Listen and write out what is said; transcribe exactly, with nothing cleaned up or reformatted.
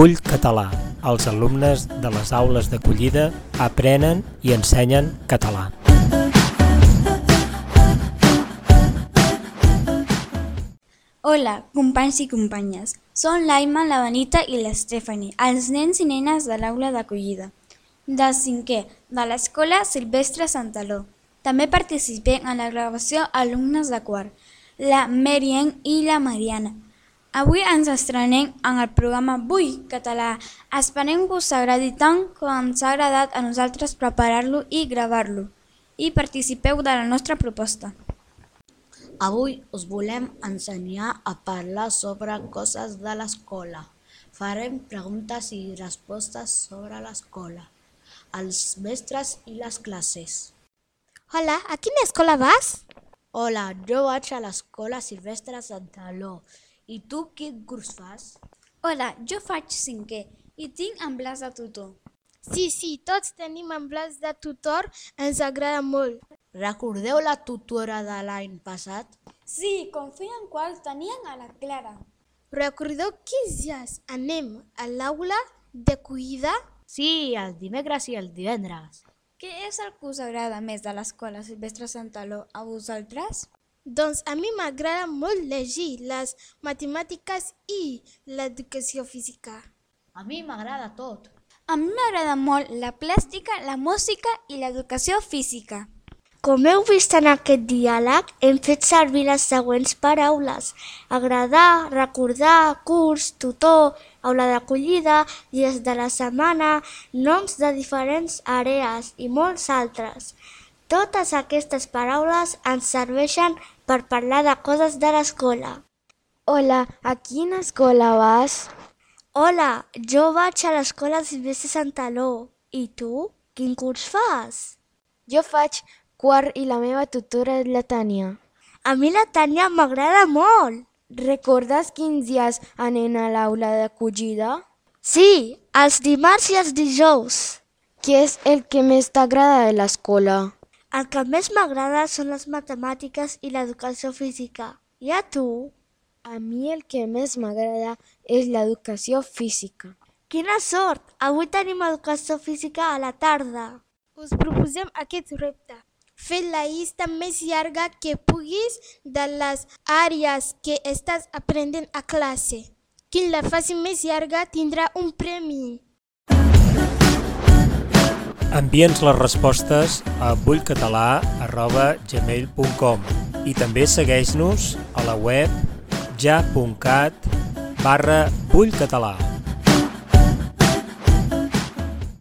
Vull català. Els alumnes de les aules d'acollida aprenen i ensenyen català. Hola, companys i companyes. Són l'Aima, la Benita i l'Stephanie, els nens i nenes de l'aula d'acollida de cinquè de l'Escola Silvestre Santaló. També participem en la gravació alumnes de quart, la Merien i la Mariana. Avui ens estrenem en el programa Vull català. Esperem que us agradi tant com ens ha agradat a nosaltres preparar-lo i gravar-lo. I participeu de la nostra proposta. Avui us volem ensenyar a parlar sobre coses de l'escola. Farem preguntes i respostes sobre l'escola, els mestres i les classes. Hola, a quina escola vas? Hola, jo vaig a l'Escola Silvestre Santaló. I tu quin curs fas? Hola, jo faig cinquè i tinc emblàs de tutor. Sí, sí, tots tenim emblàs de tutor, ens agrada molt. Recordeu la tutora de l'any passat? Sí, com feien quals tenien a la Clara. Recordeu quins dies anem a l'aula d'acollida? Sí, el dimecres i el divendres. Què és el que us agrada més de l'Escola Silvestre Santaló a vosaltres? Doncs a mi m'agrada molt llegir, les matemàtiques i l'educació física. A mi m'agrada tot. A mi m'agrada molt la plàstica, la música i l'educació física. Com heu vist en aquest diàleg, hem fet servir les següents paraules: agradar, recordar, curs, tutor, aula d'acollida, dies de la setmana, noms de diferents àrees i molts altres. Totes aquestes paraules ens serveixen per parlar de coses de l'escola. Hola, a quina escola vas? Hola, jo vaig a l'Escola Silvestre Santaló. I tu? Quin curs fas? Jo faig quart i la meva tutora és la Tània. A mi la Tània m'agrada molt. Recordes quins dies anem a l'aula d'acollida? Sí, els dimarts i els dijous. Què és el que més t'agrada de l'escola? El que més m'agrada són les matemàtiques i l'educació física. I a tu? A mi el que més m'agrada és l'educació física. Quina sort! Avui tenim educació física a la tarda. Us proposem aquest repte. Fer la llista més llarga que puguis de les àrees que estàs aprenent a classe. Qui la faci més llarga tindrà un premi. Envia'ns les respostes a vullcatalà arroba gmail punt com i també segueix-nos a la web ja punt cat barra vullcatalà.